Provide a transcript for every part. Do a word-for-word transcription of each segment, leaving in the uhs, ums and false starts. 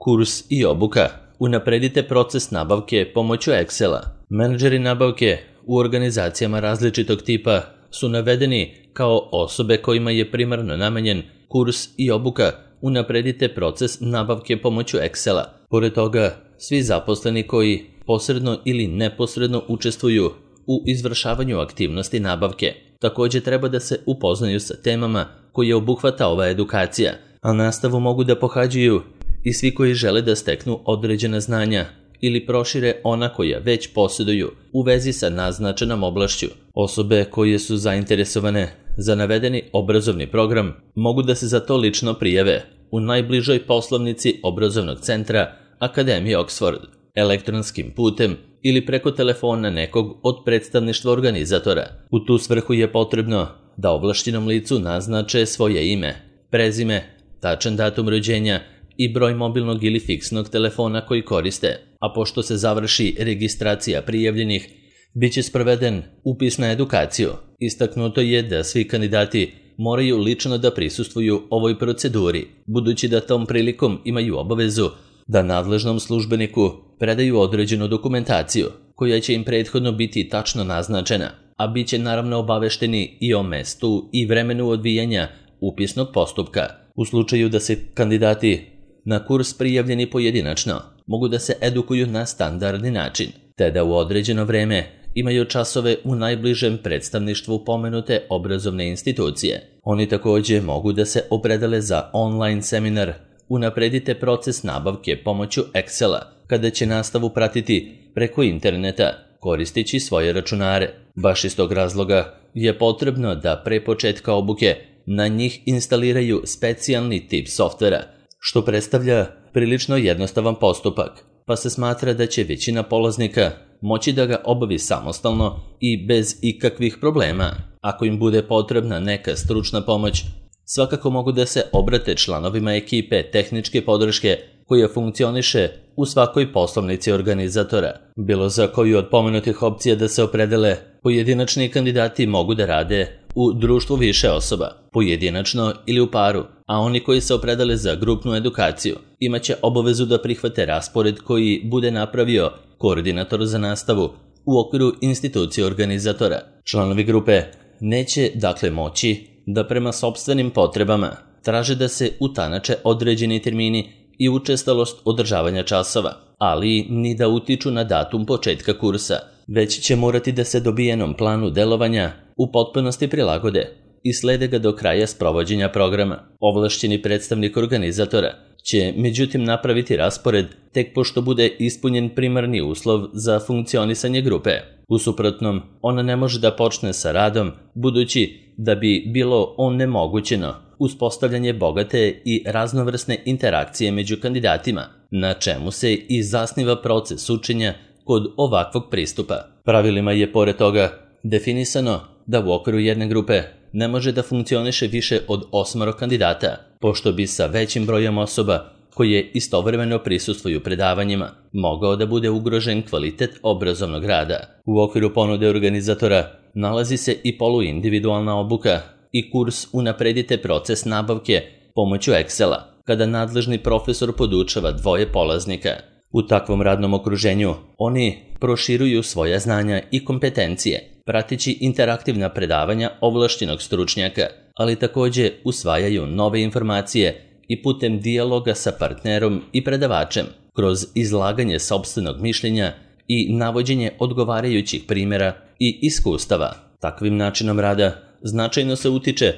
Kurs i obuka. Unapredite proces nabavke pomoću Excela. Menadžeri nabavke u organizacijama različitog tipa su navedeni kao osobe kojima je primarno namenjen kurs i obuka unapredite proces nabavke pomoću Excela. Pored toga, svi zaposleni koji posredno ili neposredno učestvuju u izvršavanju aktivnosti nabavke također treba da se upoznaju sa temama koje obuhvata ova edukacija, a nastavu mogu da pohađaju i svi koji žele da steknu određena znanja ili prošire ona koja već posjeduju u vezi sa naznačenom oblašću. Osobe koje su zainteresovane za navedeni obrazovni program mogu da se za to lično prijave u najbližoj poslovnici obrazovnog centra Akademije Oxford, elektronskim putem ili preko telefona nekog od predstavništva organizatora. U tu svrhu je potrebno da ovlašćenom licu naznače svoje ime, prezime, tačan datum rođenja i broj mobilnog ili fiksnog telefona koji koriste, a pošto se završi registracija prijavljenih, bit će sproveden upis na edukaciju. Istaknuto je da svi kandidati moraju lično da prisustvuju ovoj proceduri, budući da tom prilikom imaju obavezu da nadležnom službeniku predaju određenu dokumentaciju, koja će im prethodno biti tačno naznačena, a bit će naravno obavešteni i o mestu i vremenu odvijanja upisnog postupka. U slučaju da se kandidati na kurs prijavljeni pojedinačno, mogu da se edukuju na standardni način, te da u određeno vreme imaju časove u najbližem predstavništvu pomenute obrazovne institucije. Oni također mogu da se opredele za online seminar Unapredite proces nabavke pomoću Excela, kada će nastavu pratiti preko interneta koristeći svoje računare. Baš iz tog razloga je potrebno da pre početka obuke na njih instaliraju specijalni tip softvera, što predstavlja prilično jednostavan postupak, pa se smatra da će većina polaznika moći da ga obavi samostalno i bez ikakvih problema. Ako im bude potrebna neka stručna pomoć, svakako mogu da se obrate članovima ekipe tehničke podrške koja funkcioniše u svakoj poslovnici organizatora. Bilo za koju od pomenutih opcija da se opredele, pojedinačni kandidati mogu da rade u društvu više osoba, pojedinačno ili u paru, a oni koji se opredele za grupnu edukaciju imaće obavezu da prihvate raspored koji bude napravio koordinator za nastavu u okviru institucije organizatora. Članovi grupe neće dakle moći da prema sopstvenim potrebama traže da se utanače određeni termini i učestalost održavanja časova, ali ni da utiču na datum početka kursa, već će morati da se dobijenom planu delovanja u potpunosti prilagode i slede ga do kraja sprovođenja programa. Ovlašćeni predstavnik organizatora će međutim napraviti raspored tek pošto bude ispunjen primarni uslov za funkcionisanje grupe. U suprotnom, ona ne može da počne sa radom, budući da bi bilo onemogućeno uspostavljanje bogate i raznovrsne interakcije među kandidatima, na čemu se i zasniva proces učenja kod ovakvog pristupa. Pravilima je pored toga definisano da u okviru jedne grupe ne može da funkcioniše više od osmoro kandidata, pošto bi sa većim brojem osoba koje istovremeno prisustvuju predavanjima mogao da bude ugrožen kvalitet obrazovnog rada. U okviru ponude organizatora nalazi se i poluindividualna obuka i kurs Unapredite proces nabavke pomoću Excela, kada nadležni profesor podučava dvoje polaznika. U takvom radnom okruženju oni proširuju svoja znanja i kompetencije, prateći interaktivna predavanja ovlašćenog stručnjaka, ali također usvajaju nove informacije i putem dijaloga sa partnerom i predavačem, kroz izlaganje sopstvenog mišljenja i navođenje odgovarajućih primjera i iskustava. Takvim načinom rada značajno se utiče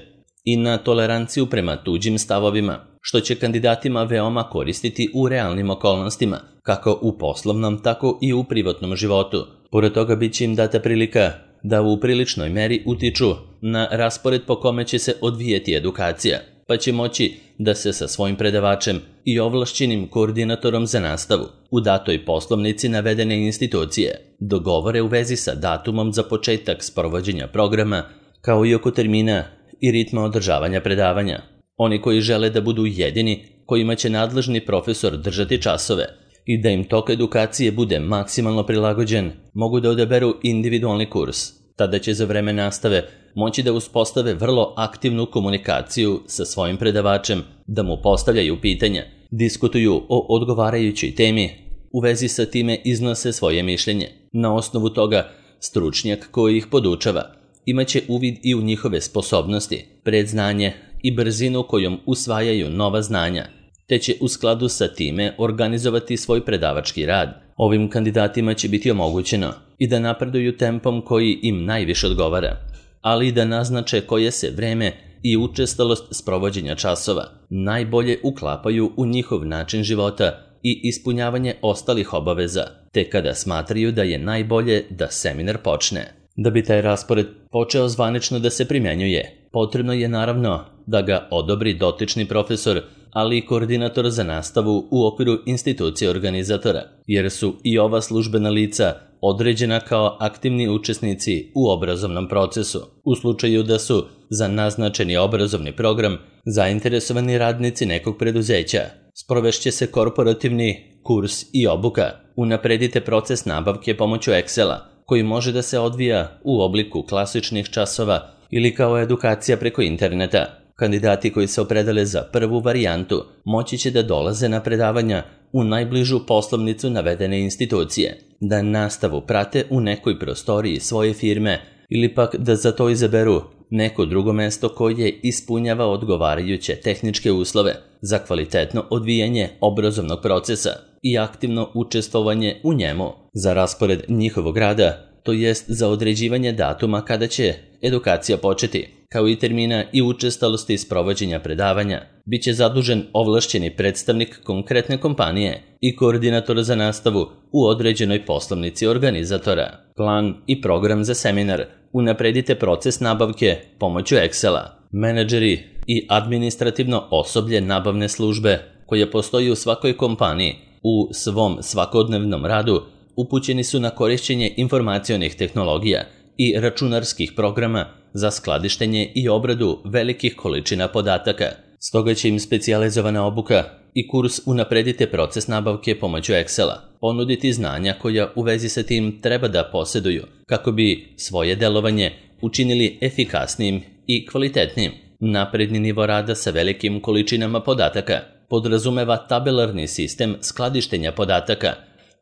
i na toleranciju prema tuđim stavovima, što će kandidatima veoma koristiti u realnim okolnostima, kako u poslovnom, tako i u privatnom životu. Pored toga bit će im data prilika da u priličnoj meri utiču na raspored po kome će se odvijeti edukacija, pa će moći da se sa svojim predavačem i ovlašćenim koordinatorom za nastavu u datoj poslovnici navedene institucije dogovore u vezi sa datumom za početak sprovođenja programa, kao i oko termina i ritma održavanja predavanja. Oni koji žele da budu jedini kojima će nadležni profesor držati časove i da im tok edukacije bude maksimalno prilagođen, mogu da odaberu individualni kurs. Tada će za vreme nastave moći da uspostave vrlo aktivnu komunikaciju sa svojim predavačem, da mu postavljaju pitanja diskutuju o odgovarajućoj temi, u vezi sa time iznose svoje mišljenje. Na osnovu toga, stručnjak koji ih podučava imaće uvid i u njihove sposobnosti, predznanje i brzinu kojom usvajaju nova znanja, te će u skladu sa time organizovati svoj predavački rad. Ovim kandidatima će biti omogućeno i da napreduju tempom koji im najviše odgovara, ali i da naznače koje se vreme i učestalost sprovođenja časova najbolje uklapaju u njihov način života i ispunjavanje ostalih obaveza, te kada smatraju da je najbolje da seminar počne. Da bi taj raspored počeo zvanično da se primjenjuje, potrebno je naravno da ga odobri dotični profesor, ali i koordinator za nastavu u okviru institucije organizatora, jer su i ova službena lica određena kao aktivni učesnici u obrazovnom procesu. U slučaju da su za naznačeni obrazovni program zainteresovani radnici nekog preduzeća, sprovešće se korporativni kurs i obuka. Unapredite proces nabavke pomoću Excela, koji može da se odvija u obliku klasičnih časova ili kao edukacija preko interneta. Kandidati koji se opredele za prvu varijantu moći će da dolaze na predavanja u najbližu poslovnicu navedene institucije, da nastavu prate u nekoj prostoriji svoje firme ili pak da za to izaberu neko drugo mesto koje ispunjava odgovarajuće tehničke uslove za kvalitetno odvijanje obrazovnog procesa i aktivno učestvovanje u njemu. Za raspored njihovog rada, to jest za određivanje datuma kada će edukacija početi, kao i termina i učestalosti sprovođenja predavanja, bit će zadužen ovlašćeni predstavnik konkretne kompanije i koordinator za nastavu u određenoj poslovnici organizatora. Plan i program za seminar. Unapredite proces nabavke pomoću Excela. Menadžeri i administrativno osoblje nabavne službe koje postoji u svakoj kompaniji u svom svakodnevnom radu upućeni su na korišćenje informacionih tehnologija i računarskih programa za skladištenje i obradu velikih količina podataka. Stoga će im specijalizovana obuka i kurs Unapredite proces nabavke pomoću Excela ponuditi znanja koja u vezi sa tim treba da posjeduju kako bi svoje delovanje učinili efikasnijim i kvalitetnijim. Napredni nivo rada sa velikim količinama podataka podrazumeva tabelarni sistem skladištenja podataka,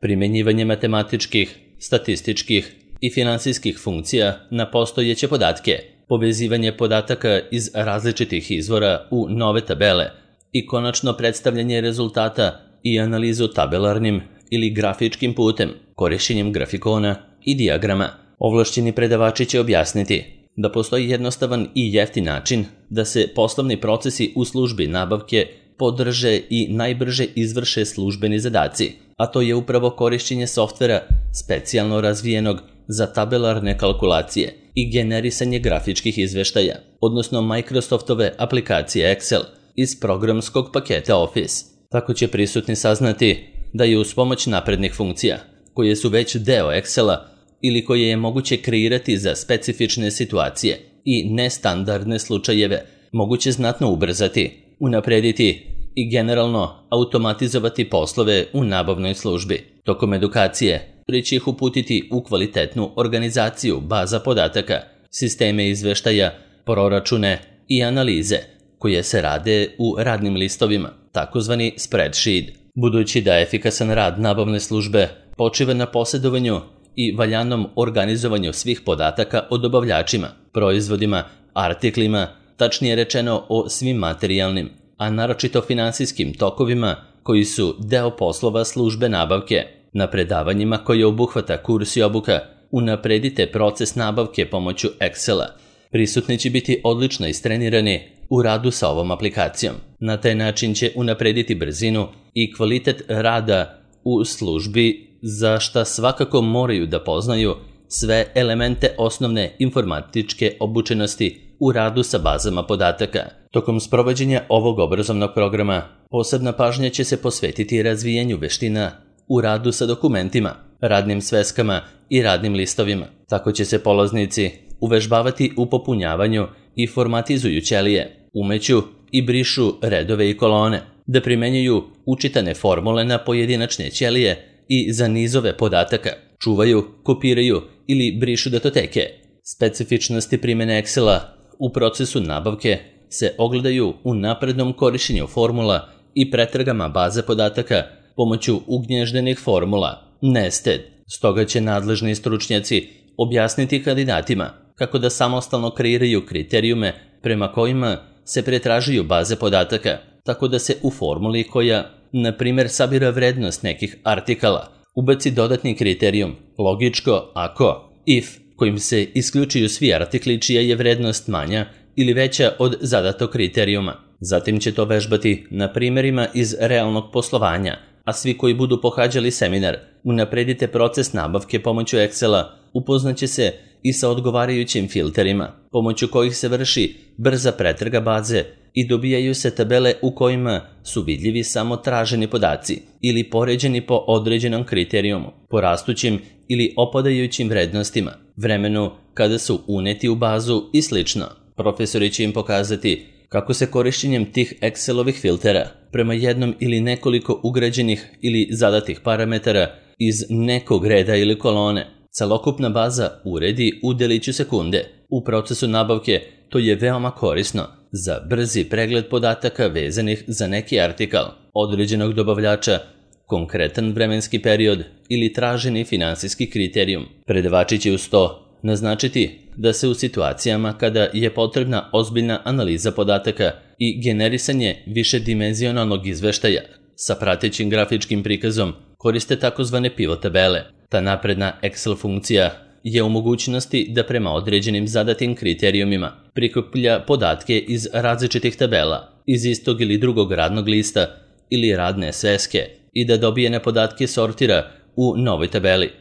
primenjivanje matematičkih, statističkih i finansijskih funkcija na postojeće podatke, povezivanje podataka iz različitih izvora u nove tabele i konačno predstavljanje rezultata i analizu tabelarnim ili grafičkim putem, korišćenjem grafikona i dijagrama. Ovlašćeni predavači će objasniti da postoji jednostavan i jeftin način da se poslovni procesi u službi nabavke podrže i najbrže izvrše službeni zadaci, a to je upravo korišćenje softvera specijalno razvijenog za tabelarne kalkulacije i generisanje grafičkih izveštaja, odnosno Microsoftove aplikacije Excel iz programskog paketa Office. Tako će prisutni saznati da je uz pomoć naprednih funkcija, koje su već deo Excela ili koje je moguće kreirati za specifične situacije i nestandardne slučajeve, moguće znatno ubrzati, unaprediti i generalno automatizovati poslove u nabavnoj službi. Tokom edukacije će ih uputiti u kvalitetnu organizaciju baza podataka, sisteme izveštaja, proračune i analize koje se rade u radnim listovima, takozvani spreadsheet. Budući da efikasan rad nabavne službe počiva na posjedovanju i valjanom organizovanju svih podataka o dobavljačima, proizvodima, artiklima, tačnije rečeno o svim materijalnim, a naročito finansijskim tokovima koji su deo poslova službe nabavke. Na predavanjima koje obuhvata kurs i obuka Unapredite proces nabavke pomoću Excela, prisutni će biti odlično istrenirani u radu sa ovom aplikacijom. Na taj način će unaprediti brzinu i kvalitet rada u službi, za šta svakako moraju da poznaju sve elemente osnovne informatičke obučenosti u radu sa bazama podataka. Tokom sprovođenja ovog obrazovnog programa posebna pažnja će se posvetiti razvijanju veština u radu sa dokumentima, radnim sveskama i radnim listovima. Tako će se polaznici uvežbavati u popunjavanju i formatizuju ćelije, umeću i brišu redove i kolone, da primenjuju učitane formule na pojedinačne ćelije i za nizove podataka, čuvaju, kopiraju ili brišu datoteke. Specifičnosti primjene Excela u procesu nabavke se ogledaju u naprednom korišćenju formula i pretragama baze podataka pomoću ugnježdenih formula, nested. Stoga će nadležni stručnjaci objasniti kandidatima kako da samostalno kreiraju kriterijume prema kojima se pretražuju baze podataka, tako da se u formuli koja, na primjer, sabira vrednost nekih artikala, ubaci dodatni kriterijum, logičko ako, if, kojim se isključuju svi artikli čija je vrednost manja ili veća od zadatog kriterijuma. Zatim će to vežbati na primjerima iz realnog poslovanja, a svi koji budu pohađali seminar unapredite proces nabavke pomoću Excela, upoznaće se i sa odgovarajućim filterima, pomoću kojih se vrši brza pretraga baze i dobijaju se tabele u kojima su vidljivi samo traženi podaci ili poređeni po određenom kriterijumu, po rastućim ili opadajućim vrednostima, vremenu kada su uneti u bazu i slično. Profesori će im pokazati kako se korišćenjem tih Excelovih filtera prema jednom ili nekoliko ugrađenih ili zadatih parametara iz nekog reda ili kolone celokupna baza uredi u deliću sekunde. U procesu nabavke to je veoma korisno za brzi pregled podataka vezanih za neki artikal, određenog dobavljača, konkretan vremenski period ili traženi finansijski kriterijum. Predavači će uz to naznačiti da se u situacijama kada je potrebna ozbiljna analiza podataka i generisanje višedimenzionalnog izveštaja sa pratećim grafičkim prikazom koriste takozvane pivot tabele. Ta napredna Excel funkcija je u mogućnosti da prema određenim zadatim kriterijumima prikuplja podatke iz različitih tabela, iz istog ili drugog radnog lista ili radne sveske i da dobijene podatke sortira u novoj tabeli.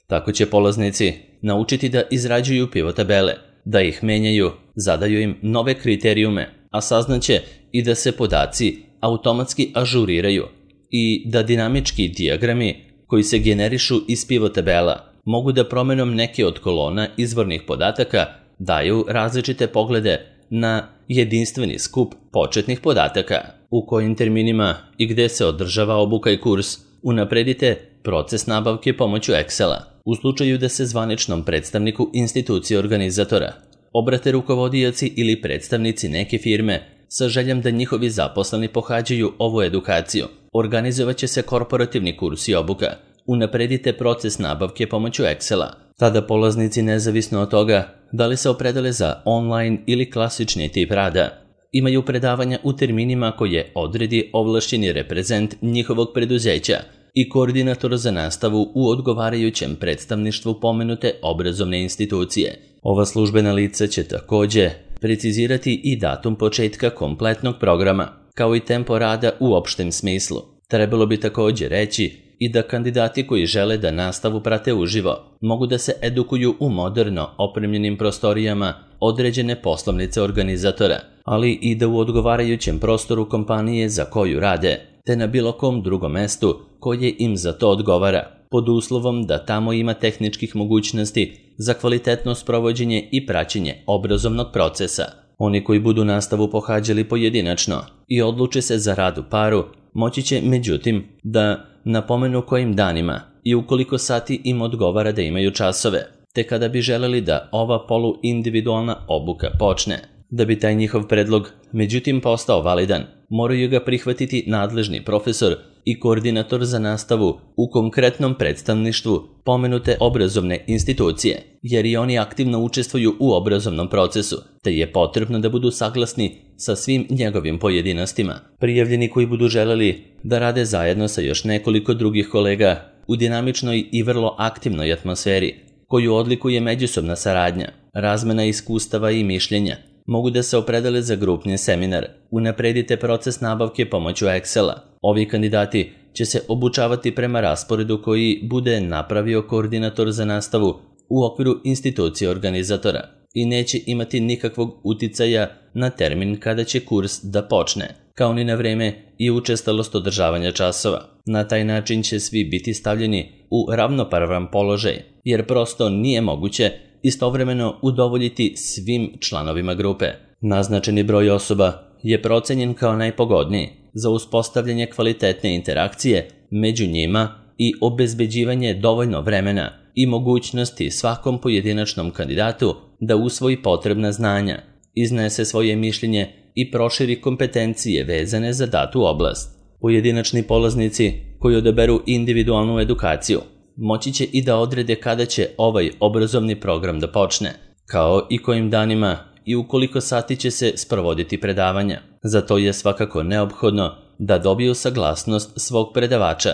Tako će polaznici naučiti da izrađuju pivot tabele, da ih menjaju, zadaju im nove kriterijume, a saznaće i da se podaci automatski ažuriraju i da dinamički dijagrami koji se generišu iz pivot tabela mogu da promenom neke od kolona izvornih podataka daju različite poglede na jedinstveni skup početnih podataka. U kojim terminima i gde se održava obuka i kurs unapredite proces nabavke pomoću Excela. U slučaju da se zvaničnom predstavniku institucije organizatora obrate rukovodioci ili predstavnici neke firme sa željom da njihovi zaposleni pohađaju ovu edukaciju, organizovaće se korporativni kurs i obuka. Unapredite proces nabavke pomoću Excela. Tada polaznici, nezavisno od toga da li se opredele za online ili klasični tip rada, imaju predavanja u terminima koje odredi ovlašćeni reprezent njihovog preduzeća i koordinator za nastavu u odgovarajućem predstavništvu pomenute obrazovne institucije. Ova službena lica će takođe precizirati i datum početka kompletnog programa, kao i tempo rada u opštem smislu. Trebalo bi takođe reći i da kandidati koji žele da nastavu prate uživo mogu da se edukuju u moderno opremljenim prostorijama određene poslovnice organizatora, ali i da u odgovarajućem prostoru kompanije za koju rade, te na bilo kom drugom mestu koje im za to odgovara, pod uslovom da tamo ima tehničkih mogućnosti za kvalitetno sprovođenje i praćenje obrazovnog procesa. Oni koji budu nastavu pohađali pojedinačno i odluče se za rad u paru, moći će, međutim, da napomenu kojim danima i u koliko sati im odgovara da imaju časove, te kada bi želeli da ova poluindividualna obuka počne. Da bi taj njihov predlog, međutim, postao validan, moraju ga prihvatiti nadležni profesor i koordinator za nastavu u konkretnom predstavništvu pomenute obrazovne institucije, jer i oni aktivno učestvuju u obrazovnom procesu, te je potrebno da budu saglasni sa svim njegovim pojedinostima. Prijavljeni koji budu želeli da rade zajedno sa još nekoliko drugih kolega u dinamičnoj i vrlo aktivnoj atmosferi, koju odlikuje međusobna saradnja, razmena iskustava i mišljenja, mogu da se opredele za grupni seminar. Unapredite proces nabavke pomoću Excela. Ovi kandidati će se obučavati prema rasporedu koji bude napravio koordinator za nastavu u okviru institucije organizatora i neće imati nikakvog uticaja na termin kada će kurs da počne, kao ni na vreme i učestalost održavanja časova. Na taj način će svi biti stavljeni u ravnopravan položaj, jer prosto nije moguće istovremeno udovoljiti svim članovima grupe. Naznačeni broj osoba je procenjen kao najpogodniji za uspostavljanje kvalitetne interakcije među njima i obezbeđivanje dovoljno vremena i mogućnosti svakom pojedinačnom kandidatu da usvoji potrebna znanja, iznese svoje mišljenje i proširi kompetencije vezane za datu oblast. Pojedinačni polaznici koji odaberu individualnu edukaciju moći će i da odrede kada će ovaj obrazovni program da počne, kao i kojim danima i u koliko sati će se sprovoditi predavanja. Za to je svakako neophodno da dobiju saglasnost svog predavača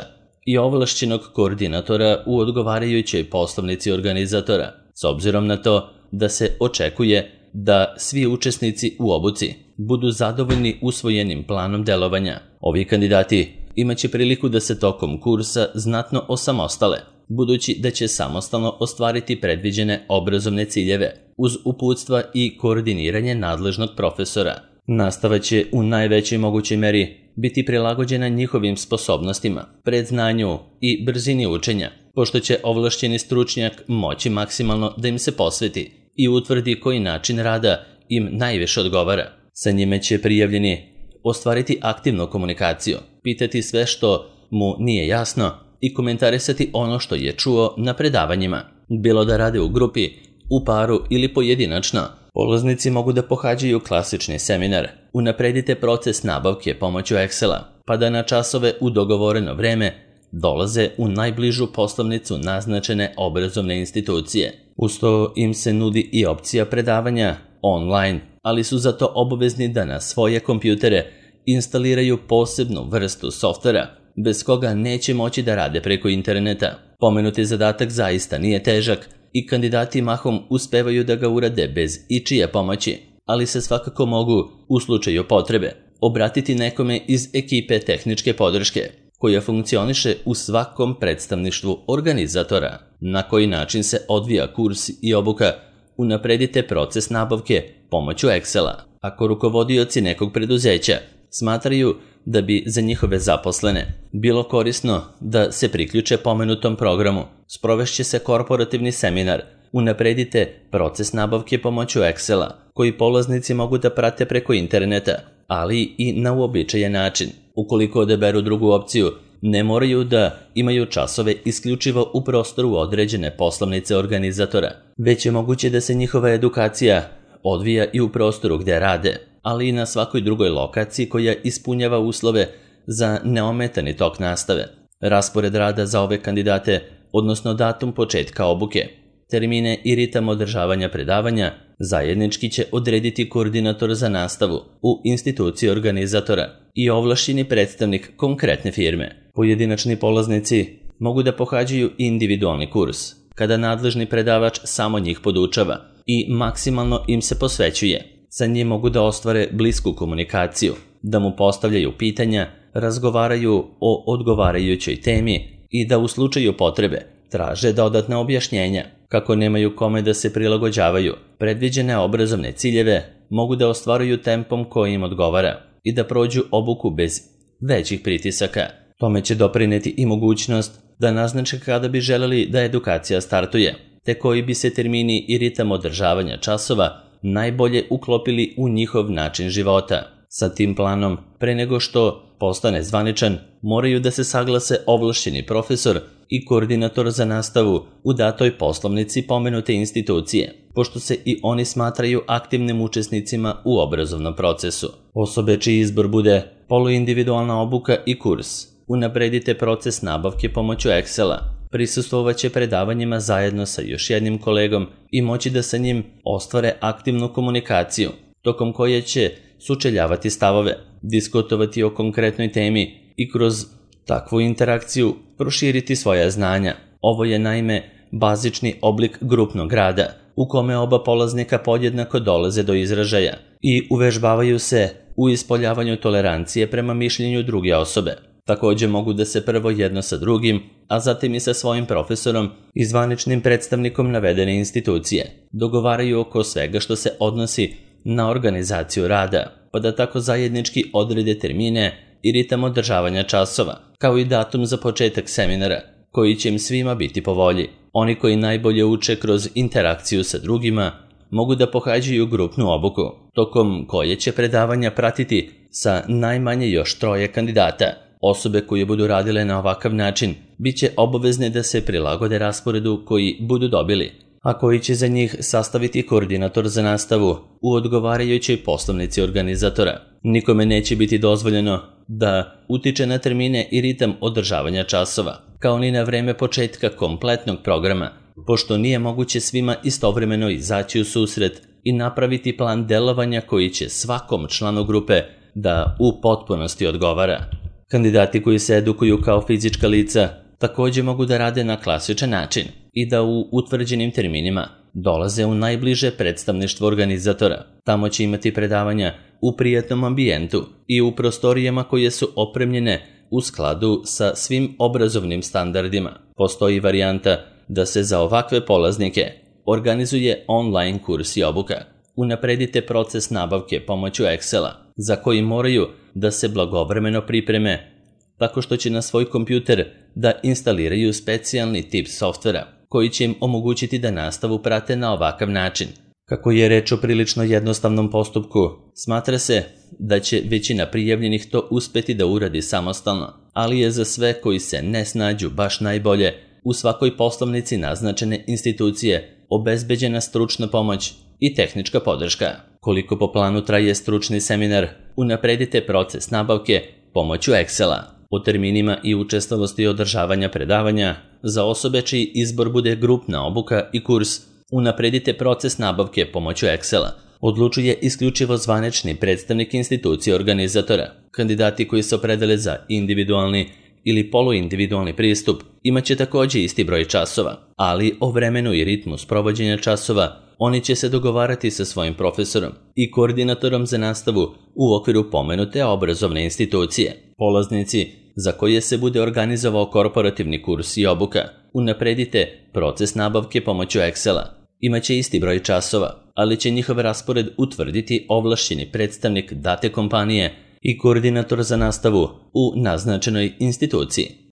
i ovlašćenog koordinatora u odgovarajućoj poslovnici organizatora, s obzirom na to da se očekuje da svi učesnici u obuci budu zadovoljni usvojenim planom delovanja. Ovi kandidati imaće priliku da se tokom kursa znatno osamostale, budući da će samostalno ostvariti predviđene obrazovne ciljeve uz uputstva i koordiniranje nadležnog profesora. Nastava će u najvećoj mogućoj meri biti prilagođena njihovim sposobnostima, predznanju i brzini učenja, pošto će ovlašćeni stručnjak moći maksimalno da im se posveti i utvrdi koji način rada im najviše odgovara. Sa njime će prijavljeni ostvariti aktivnu komunikaciju, pitati sve što mu nije jasno i komentarisati ono što je čuo na predavanjima. Bilo da rade u grupi, u paru ili pojedinačno, polaznici mogu da pohađaju klasični seminar, unapredite proces nabavke pomoću Excela, pa da na časove u dogovoreno vreme dolaze u najbližu poslovnicu naznačene obrazovne institucije. Uz to im se nudi i opcija predavanja online, ali su zato obavezni da na svoje kompjutere instaliraju posebnu vrstu softvera, bez koga neće moći da rade preko interneta. Pomenuti zadatak zaista nije težak i kandidati mahom uspevaju da ga urade bez ičije pomoći, ali se svakako mogu, u slučaju potrebe, obratiti nekome iz ekipe tehničke podrške, koja funkcioniše u svakom predstavništvu organizatora. Na koji način se odvija kurs i obuka, unapredite proces nabavke pomoću Excela. Ako rukovodioci nekog preduzeća smatraju da bi za njihove zaposlene bilo korisno da se priključe pomenutom programu, sprovešće se korporativni seminar Unapredite proces nabavke pomoću Excela, koji polaznici mogu da prate preko interneta, ali i na uobičajen način. Ukoliko odaberu drugu opciju, ne moraju da imaju časove isključivo u prostoru određene poslovnice organizatora, već je moguće da se njihova edukacija odvija i u prostoru gde rade, ali i na svakoj drugoj lokaciji koja ispunjava uslove za neometani tok nastave. Raspored rada za ove kandidate, odnosno datum početka obuke, termine i ritam održavanja predavanja, zajednički će odrediti koordinator za nastavu u instituciji organizatora i ovlašćeni predstavnik konkretne firme. Pojedinačni polaznici mogu da pohađaju individualni kurs, kada nadležni predavač samo njih podučava i maksimalno im se posvećuje. Sa njim mogu da ostvare blisku komunikaciju, da mu postavljaju pitanja, razgovaraju o odgovarajućoj temi i da u slučaju potrebe traže dodatna objašnjenja. Kako nemaju kome da se prilagođavaju, predviđene obrazovne ciljeve mogu da ostvaruju tempom koji im odgovara i da prođu obuku bez većih pritisaka. Tome će doprineti i mogućnost da naznače kada bi želeli da edukacija startuje, te koji bi se termini i ritam održavanja časova najbolje uklopili u njihov način života. Sa tim planom, pre nego što postane zvaničan, moraju da se saglase ovlašćeni profesor i koordinator za nastavu u datoj poslovnici pomenute institucije, pošto se i oni smatraju aktivnim učesnicima u obrazovnom procesu. Osobe čiji izbor bude poluindividualna obuka i kurs, unapredite proces nabavke pomoću Excela, prisustvovaće predavanjima zajedno sa još jednim kolegom i moći da sa njim ostvare aktivnu komunikaciju, tokom koje će sučeljavati stavove, diskutovati o konkretnoj temi i kroz takvu interakciju proširiti svoja znanja. Ovo je naime bazični oblik grupnog rada, u kome oba polaznika podjednako dolaze do izražaja i uvežbavaju se u ispoljavanju tolerancije prema mišljenju druge osobe. Također mogu da se prvo jedno sa drugim, a zatim i sa svojim profesorom i zvaničnim predstavnikom navedene institucije dogovaraju oko svega što se odnosi na organizaciju rada, pa da tako zajednički odrede termine i ritam održavanja časova, kao i datum za početak seminara, koji će im svima biti po volji. Oni koji najbolje uče kroz interakciju sa drugima mogu da pohađaju grupnu obuku, tokom koje će predavanja pratiti sa najmanje još troje kandidata. Osobe koje budu radile na ovakav način bit će obavezne da se prilagode rasporedu koji budu dobili, a koji će za njih sastaviti koordinator za nastavu u odgovarajućoj poslovnici organizatora. Nikome neće biti dozvoljeno da utiče na termine i ritam održavanja časova, kao ni na vreme početka kompletnog programa, pošto nije moguće svima istovremeno izaći u susret i napraviti plan delovanja koji će svakom članu grupe da u potpunosti odgovara. Kandidati koji se edukuju kao fizička lica također mogu da rade na klasičan način i da u utvrđenim terminima dolaze u najbliže predstavništvo organizatora. Tamo će imati predavanja u prijatnom ambijentu i u prostorijama koje su opremljene u skladu sa svim obrazovnim standardima. Postoji varijanta da se za ovakve polaznike organizuje online kurs i obuka. Unapredite proces nabavke pomoću Excela, za koji moraju da se blagovremeno pripreme tako što će na svoj kompjuter da instaliraju specijalni tip softvera koji će im omogućiti da nastavu prate na ovakav način. Kako je reč o prilično jednostavnom postupku, smatra se da će većina prijavljenih to uspeti da uradi samostalno, ali je za sve koji se ne snađu baš najbolje u svakoj poslovnici naznačene institucije obezbeđena stručna pomoć i tehnička podrška. Koliko po planu traje stručni seminar, unapredite proces nabavke pomoću Excela. O terminima i učestalosti održavanja predavanja za osobe čiji izbor bude grupna obuka i kurs, unapredite proces nabavke pomoću Excela. Odlučuje isključivo zvanični predstavnik institucije organizatora. Kandidati koji se opredele za individualni ili poluindividualni pristup imaće također isti broj časova, ali o vremenu i ritmu sprovođenja časova oni će se dogovarati sa svojim profesorom i koordinatorom za nastavu u okviru pomenute obrazovne institucije. Polaznici za koje se bude organizovao korporativni kurs i obuka, unapredite proces nabavke pomoću Excela. Imaće isti broj časova, ali će njihov raspored utvrditi ovlašćeni predstavnik date kompanije i koordinator za nastavu u naznačenoj instituciji.